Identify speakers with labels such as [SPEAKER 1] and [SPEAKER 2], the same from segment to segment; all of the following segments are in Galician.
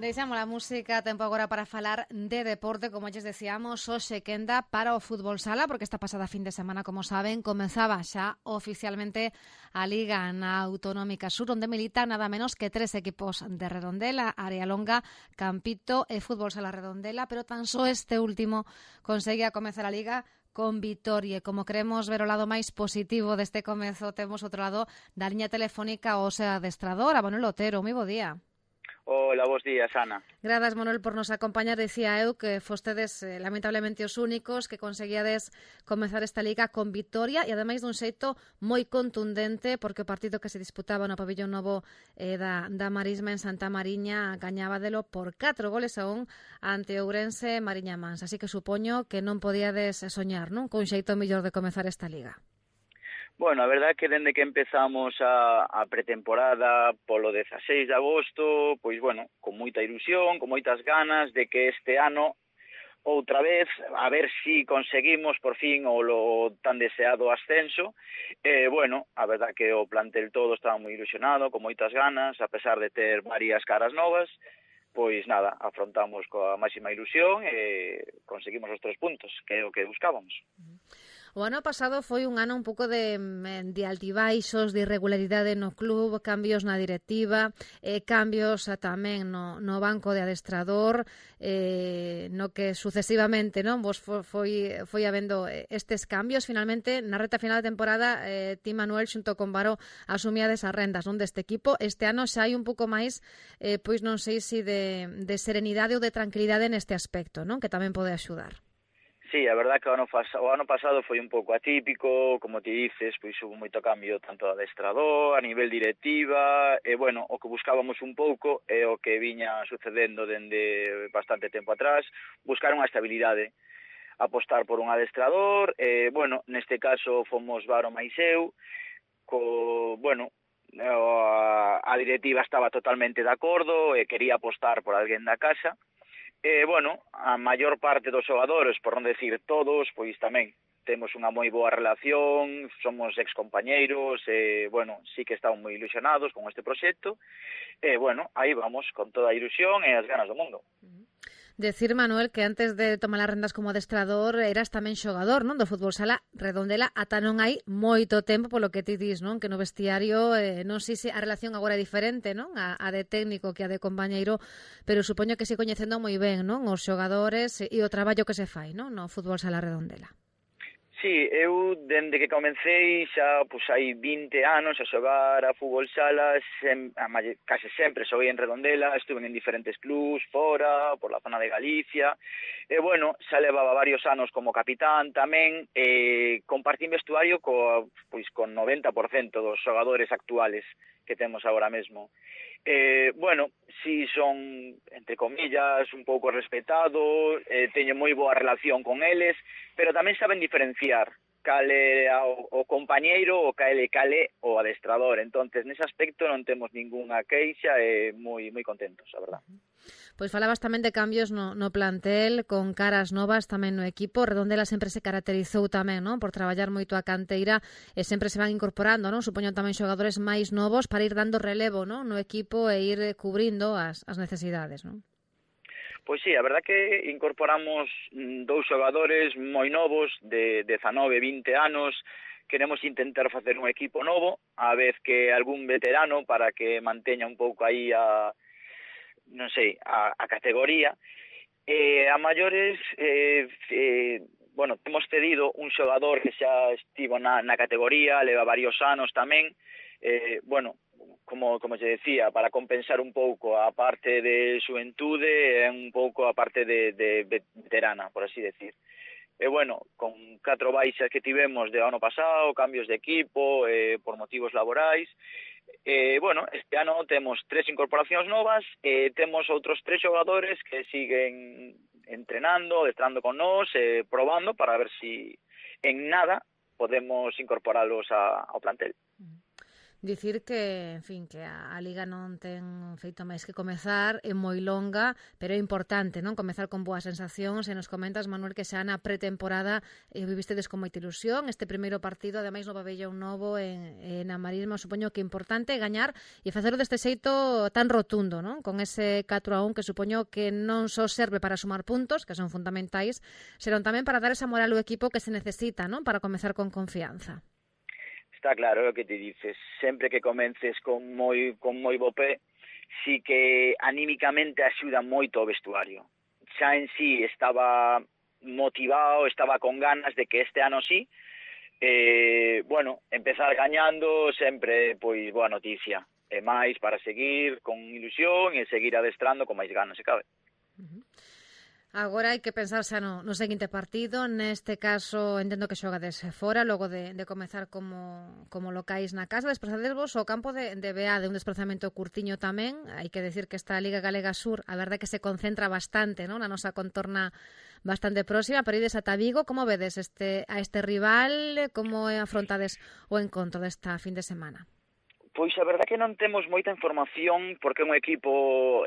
[SPEAKER 1] Deixamos a música, tempo agora para falar de deporte, como lles decíamos, hoxe quenda para o fútbol sala, porque esta pasada fin de semana, como saben, comezaba xa oficialmente a Liga na Autonómica Sur, onde militan nada menos que 3 equipos de Redondela, Área Longa, Campito e Fútbol Sala Redondela, pero tan só este último consegue a comezar a Liga con vitoria. Como queremos ver o lado máis positivo deste comezo, temos outro lado da liña telefónica o sea adestrador, a Manuel Otero. Moi bo día.
[SPEAKER 2] Hola, bos días, Ana.
[SPEAKER 1] Gracias, Manuel, por nos acompañar. Decía eu que fostedes lamentablemente os únicos que conseguíades comezar esta liga con vitoria e ademais dun xeito moi contundente, porque o partido que se disputaba no pabillón novo da Marisma en Santa Mariña gañábadelo por 4-1 ante Ourense e Mariña Mansa. Así que supoño que non podíades soñar, non? Con xeito mellor de comezar esta liga.
[SPEAKER 2] Bueno, a verdade é que dende que empezamos a pretemporada polo 16 de agosto, pois bueno, con moita ilusión, con moitas ganas de que este ano outra vez, a ver si conseguimos por fin o tan deseado ascenso. Bueno, a verdade que o plantel todo estaba moi ilusionado, con moitas ganas, a pesar de ter varias caras novas, pois nada, afrontamos coa máxima ilusión e conseguimos os 3 puntos, que é o que buscábamos.
[SPEAKER 1] O ano pasado foi un ano un pouco de altibaixos, de irregularidade no club, cambios na directiva, cambios tamén no banco de adestrador, no que sucesivamente non vos foi habendo estes cambios. Finalmente, na reta final da temporada, ti, Manuel, xunto con Varo, asumíades as rendas non deste equipo. Este ano xa hai un pouco máis, pois non sei se de serenidade ou de tranquilidade neste aspecto, non? Que tamén pode axudar.
[SPEAKER 2] Sí, a verdad que o ano pasado foi un pouco atípico, como ti dices, pois hubo moito cambio tanto de adestrador, a nivel directiva, e bueno, o que buscábamos un pouco é o que viña sucedendo dende bastante tempo atrás, buscar unha estabilidade, apostar por un adestrador, e bueno, neste caso fomos Varo máis eu, a directiva estaba totalmente de acordo e quería apostar por alguén da casa. Bueno, a maior parte dos xogadores, por non decir todos, pois tamén temos unha moi boa relación, somos excompañeiros, bueno, sí que estamos moi ilusionados con este proxecto, bueno, aí vamos, con toda a ilusión e as ganas do mundo.
[SPEAKER 1] Decir, Manuel, que antes de tomar as rendas como adestrador eras tamén xogador, non, do fútbol sala Redondela, ata non hai moito tempo, polo que ti dis, non, que no vestiario non sei se a relación agora é diferente, non, a de técnico que a de compañeiro, pero supoño que se coñecendo moi ben, non, os xogadores e o traballo que se fai, non, no fútbol sala Redondela.
[SPEAKER 2] Sí, eu, dende que comecei, xa hai 20 anos a xogar a fútbol sala, case sempre xoguei en Redondela, estuve en diferentes clubs, fora, por la zona de Galicia, e, bueno, xa levaba varios anos como capitán tamén, compartín vestuario con 90% dos xogadores actuales que temos agora mesmo. Bueno, si son, entre comillas, un pouco respetado, teño moi boa relación con eles, pero tamén saben diferenciar cale o compañeiro ou cale o adestrador. Entonces, nese aspecto non temos ningunha queixa e moi contentos, a verdad.
[SPEAKER 1] Pois falabas tamén de cambios no plantel, con caras novas tamén no equipo. Redondela sempre se caracterizou tamén, non, por traballar moito a canteira e sempre se van incorporando, non, supoño tamén xogadores máis novos para ir dando relevo, non, no equipo e ir cubrindo as necesidades, non?
[SPEAKER 2] Pois sí, a verdad que incorporamos 2 xogadores moi novos, de 19, 20 anos. Queremos intentar facer un equipo novo, a vez que algún veterano para que manteña un pouco aí a categoría. A maiores, bueno, temos cedido un xogador que xa estivo na categoría, leva varios anos tamén, bueno, como se decía, para compensar un pouco a parte de xuventude e un pouco a parte de veterana, por así decir. E bueno, con 4 baixas que tivemos de ano pasado, cambios de equipo, por motivos laborais, bueno, este ano temos 3 incorporacións novas e temos outros 3 xogadores que siguen entrenando, adestrando con nós, probando para ver si en nada podemos incorporalos ao plantel.
[SPEAKER 1] Dicir que, en fin, que a Liga non ten feito máis que comezar, é moi longa, pero é importante, non? Comezar con boas sensacións, e nos comentas, Manuel, que xa na pretemporada vivistedes con moita ilusión, este primeiro partido, ademais no pabellón novo en a Marisma, supoño que é importante gañar e facelo deste xeito tan rotundo, non? Con ese 4-1 que supoño que non só serve para sumar puntos, que son fundamentais, senón tamén para dar esa moral ao equipo que se necesita, non? Para comezar con confianza.
[SPEAKER 2] Está claro o que te dices, sempre que comences con moi bo pé, sí que anímicamente axuda moito o vestuario. Xa en sí estaba motivado, estaba con ganas de que este ano sí, bueno, empezar gañando sempre, pois, boa noticia. E máis para seguir con ilusión e seguir adestrando con máis ganas, se cabe.
[SPEAKER 1] Agora hai que pensar xa no seguinte partido. Neste caso, entendo que xogades fora, logo de comezar como locais na casa. Desplazadesvos ao campo de BA, de un desplazamento curtiño tamén. Hai que decir que esta Liga Galega Sur, a verdade que se concentra bastante, non? Na nosa contorna bastante próxima, pero ides ata Vigo. Como vedes a este rival? Como afrontades o encontro desta fin de semana?
[SPEAKER 2] Pois a verdade que non temos moita información porque é un equipo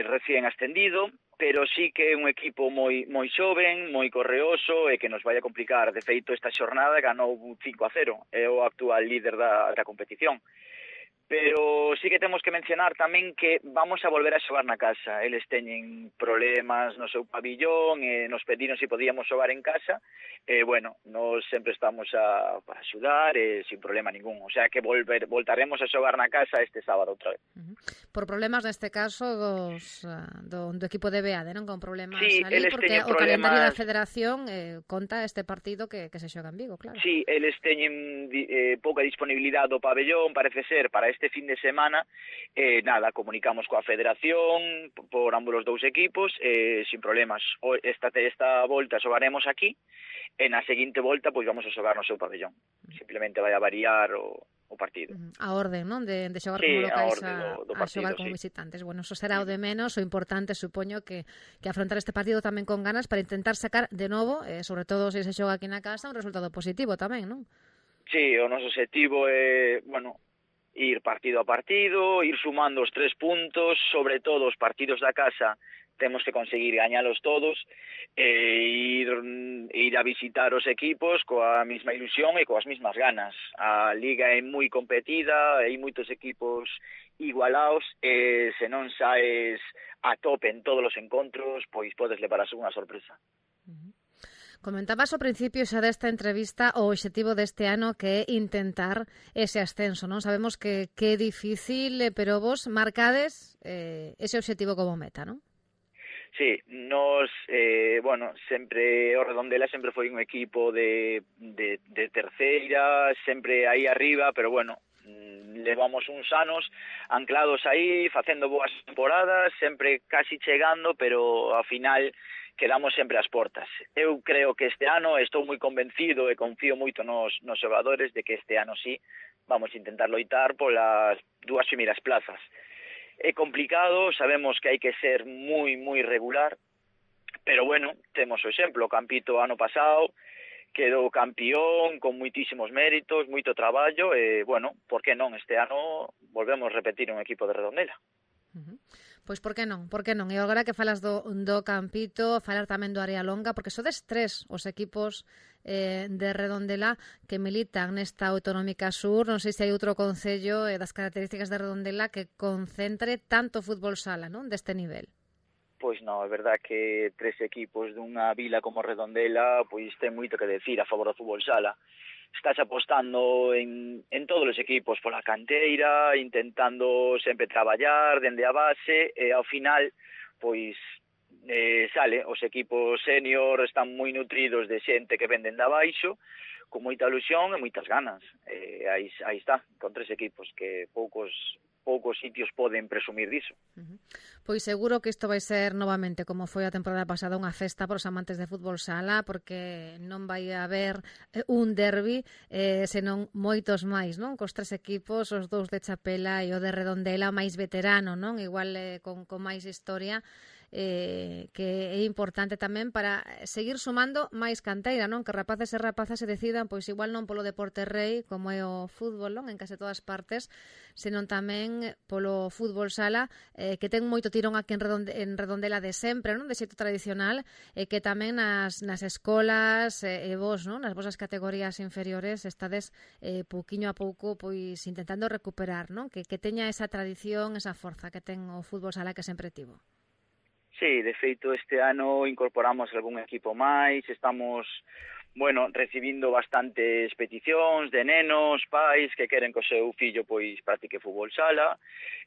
[SPEAKER 2] recién ascendido, pero sí que é un equipo moi xoven, moi correoso e que nos vai a complicar. De feito, esta xornada ganou 5-0, é o actual líder da competición. Pero sí que temos que mencionar tamén que vamos a volver a xogar na casa. Eles teñen problemas no seu pabillón e nos pediron se podíamos xogar en casa. Bueno, nos sempre estamos para axudar sin problema ningún. O sea que voltaremos a xogar na casa este sábado outra vez.
[SPEAKER 1] Por problemas neste caso do equipo de BEADE, non? Con problemas
[SPEAKER 2] sí,
[SPEAKER 1] ali, porque o
[SPEAKER 2] problemas...
[SPEAKER 1] calendario da federación conta este partido que se xoga en Vigo, claro.
[SPEAKER 2] Sí, eles teñen pouca disponibilidade do pabellón, parece ser, para este fin de semana. Nada, comunicamos coa federación por ambos os dous equipos, sin problemas. Esta volta xogaremos aquí, e na seguinte volta pois vamos a xogar no seu pabellón. Simplemente vai a variar o partido.
[SPEAKER 1] A orden, non? De xogar como locais
[SPEAKER 2] do partido,
[SPEAKER 1] a xogar como visitantes. Bueno, eso será o de menos. O importante, supoño, que afrontar este partido tamén con ganas para intentar sacar de novo, sobre todo se xoga aquí na casa, un resultado positivo tamén, non?
[SPEAKER 2] Sí, o noso objetivo é, bueno, ir partido a partido, ir sumando os 3 puntos, sobre todo os partidos da casa temos que conseguir gañalos todos e ir a visitar os equipos coa mesma ilusión e coas mesmas ganas. A Liga é moi competida, hai moitos equipos igualados e se non saes a tope en todos os encontros, pois podes levar a unha sorpresa.
[SPEAKER 1] Comentabas ao principio xa desta entrevista o obxectivo deste ano que é intentar ese ascenso, non? Sabemos que é difícil, pero vos marcades ese obxectivo como meta, non?
[SPEAKER 2] Sí, nos, bueno, sempre o Redondela sempre foi un equipo de terceira, sempre aí arriba, pero bueno, levamos uns anos anclados aí, facendo boas temporadas, sempre casi chegando, pero ao final quedamos sempre ás portas. Eu creo que este ano estou moi convencido e confío moito nos xogadores de que este ano sí vamos a intentar loitar polas 2 primeiras plazas. É complicado, sabemos que hai que ser moi regular, pero bueno, temos o exemplo, o Campito ano pasado quedou campeón con moitísimos méritos, moito traballo e, bueno, por que non? Este ano volvemos a repetir un equipo de Redondela.
[SPEAKER 1] Pois por que non? E agora que falas do Campito, falar tamén do Área Longa, porque sodes 3 os equipos de Redondela que militan nesta Autonómica Sur. Non sei se hai outro concello das características de Redondela que concentre tanto fútbol sala, non? Deste nivel.
[SPEAKER 2] Pois non, é verdad que 3 equipos dunha vila como Redondela pois ten moito que decir a favor do fútbol sala. Estás apostando en todos os equipos pola canteira, intentando sempre traballar dende a base e ao final pois sale, os equipos senior están moi nutridos de xente que venden de abaixo, con moita ilusión e moitas ganas. Aí está, con 3 equipos que poucos sitios poden presumir diso.
[SPEAKER 1] Pois seguro que isto vai ser novamente, como foi a temporada pasada, unha festa para os amantes de fútbol sala, porque non vai haber un derbi, senón moitos máis, non? Cos 3 equipos, os 2 de Chapela e o de Redondela, máis veterano, non? Igual con máis historia. que é importante tamén para seguir sumando máis canteira, non? Que rapaces e rapazas se decidan, pois igual non polo deporte rei, como é o fútbol, non? En case todas partes, senón tamén polo fútbol sala, que ten moito tirón aquí en Redondela de sempre, non? De xeito tradicional, e que tamén nas escolas e vos, non? Nas vosas categorías inferiores estades pouquiño a pouco pois intentando recuperar, non? Que teña esa tradición, esa forza que ten o fútbol sala que sempre tivo.
[SPEAKER 2] Sí, de feito este ano incorporamos algún equipo máis, estamos, recibindo bastantes peticións de nenos, pais que queren que o seu fillo pois practique fútbol sala.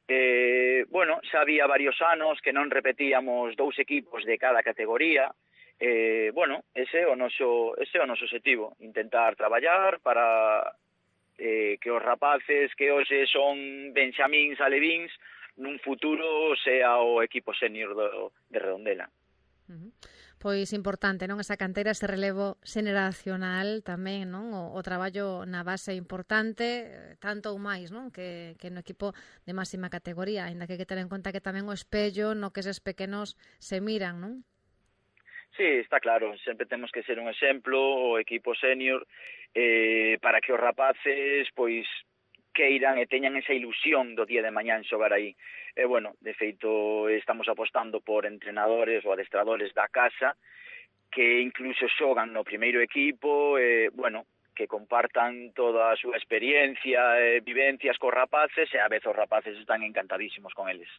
[SPEAKER 2] Xa había varios anos que non repetíamos 2 equipos de cada categoría. Ese é o noso objetivo, intentar traballar para que os rapaces que hoxe son benxamíns, alevíns, nun futuro sea o equipo senior de Redondela.
[SPEAKER 1] Pois importante, non? Esa canteira, ese relevo xeneracional tamén, non? O traballo na base importante, tanto ou máis, non? Que no equipo de máxima categoría, ainda que hai que ter en conta que tamén o espello no que eses pequenos se miran, non?
[SPEAKER 2] Sí, está claro, sempre temos que ser un exemplo, o equipo senior, para que os rapaces, pois, queiran e teñan esa ilusión do día de mañán xogar aí. De feito, estamos apostando por entrenadores ou adestradores da casa que incluso xogan no primeiro equipo, que compartan toda a súa experiencia e vivencias cos rapaces, e a vez os rapaces están encantadísimos con eles.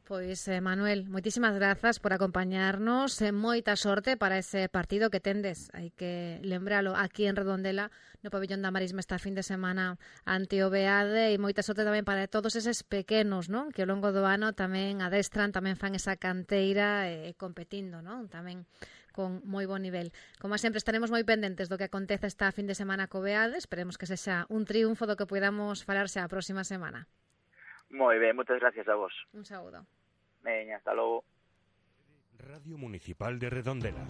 [SPEAKER 1] Pois, Manuel, moitísimas grazas por acompañarnos, moita sorte para ese partido que tendes. Hai que lembralo aquí en Redondela, no pabillón da Marisma esta fin de semana ante o Beade, e moita sorte tamén para todos eses pequenos, non? Que ao longo do ano tamén adestran, tamén fan esa canteira competindo, non? Tamén con moi bon nivel. Como sempre, estaremos moi pendentes do que acontece esta fin de semana co Beade. Esperemos que sexa un triunfo do que podamos falar xa a próxima semana.
[SPEAKER 2] Moi ben, moitas gracias a vos.
[SPEAKER 1] Un saúdo.
[SPEAKER 2] Veña, hasta logo.
[SPEAKER 3] Radio Municipal de Redondela.